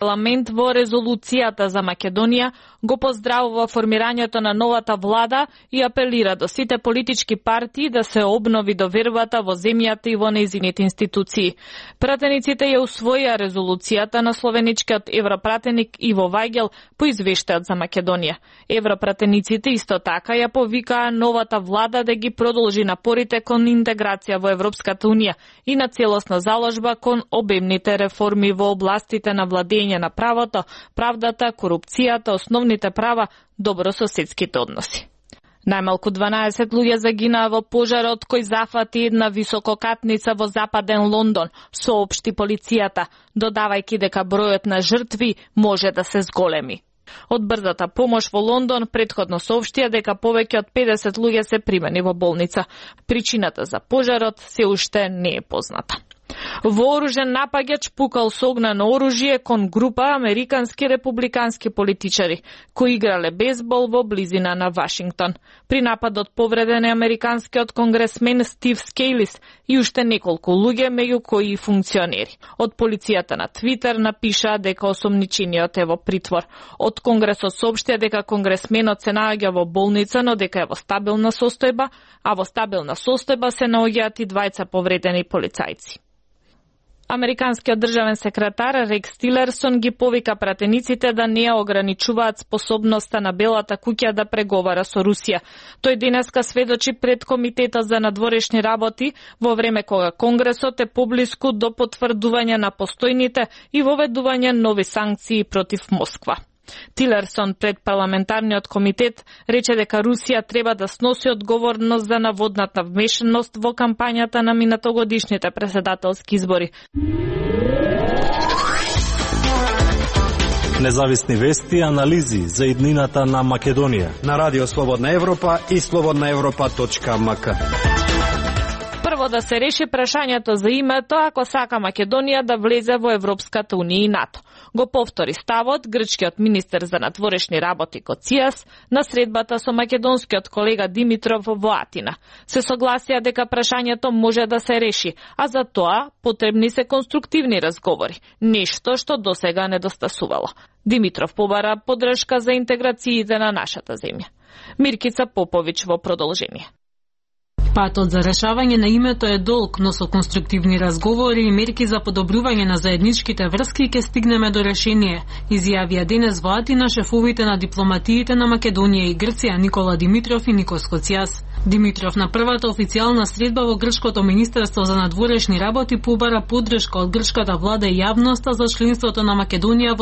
Парламент во резолуцијата за Македонија го поздравува формирањето на новата влада и апелира до сите политички партии да се обнови довербата во земјата и во нејзините институции. Пратениците ја усвоија резолуцијата на словеничкиот европратеник Иво Вајгел по извештајот за Македонија. Европратениците исто така ја повикаа новата влада да ги продолжи напорите кон интеграција во Европската унија и на целосна заложба кон обемните реформи во областите на владење на правото, правдата, корупцијата, основните права, добрососедските односи. Најмалку 12 луѓе загинаа во пожарот кој зафати една висококатница во западен Лондон, соопшти полицијата, додавајќи дека бројот на жртви може да се зголеми. Од брзата помош во Лондон претходно соопштија дека повеќе од 50 луѓе се примени во болница. Причината за пожарот се уште не е позната. Вооружен напаѓач пукал со огнено оружје кон група американски републикански политичари кои играле бейсбол во близина на Вашингтон. При нападот повреден е американскиот конгресмен Стив Скејлис и уште неколку луѓе, меѓу кои и функционери. Од полицијата на Твитер напишаа дека осомничениот е во притвор. Од Конгресот соопштија дека конгресменот се наоѓа во болница, но дека е во стабилна состојба, а во стабилна состојба се наоѓаат и двајца повредени полицајци. Американскиот државен секретар Рекс Тилерсон ги повика пратениците да не ограничуваат способноста на Белата куќа да преговара со Русија. Тој денеска сведочи пред Комитетот за надворешни работи во време кога Конгресот е поблиску до потврдување на постојните и воведување нови санкции против Москва. Тилерсон пред парламентарниот комитет рече дека Русија треба да сноси одговорност за наводната вмешаност во кампањата на минатогодишните претседателски избори. Независни вести и анализи за иднината на Македонија на Радио Слободна Европа и slobodnaevropa.mk. Прво да се реши прашањето за името ако сака Македонија да влезе во Европската унија и НАТО. Го повтори ставот грчкиот министер за надворешни работи Коцијас на средбата со македонскиот колега Димитров во Атина. Се согласија дека прашањето може да се реши, а за тоа потребни се конструктивни разговори, нешто што досега недостасувало. Димитров побара поддршка за интеграциите на нашата земја. Миркица Поповиќ во продолжение. Патот за решавање на името е долг, но со конструктивни разговори и мерки за подобрување на заедничките врски ќе стигнеме до решение, изјавија денес во Атина шефовите на дипломатиите на Македонија и Грција Никола Димитров и Никос Коцијас. Димитров на првата официјална средба во Грчкото министерство за надворешни работи побара поддршка од грчката влада и јавноста за членството на Македонија во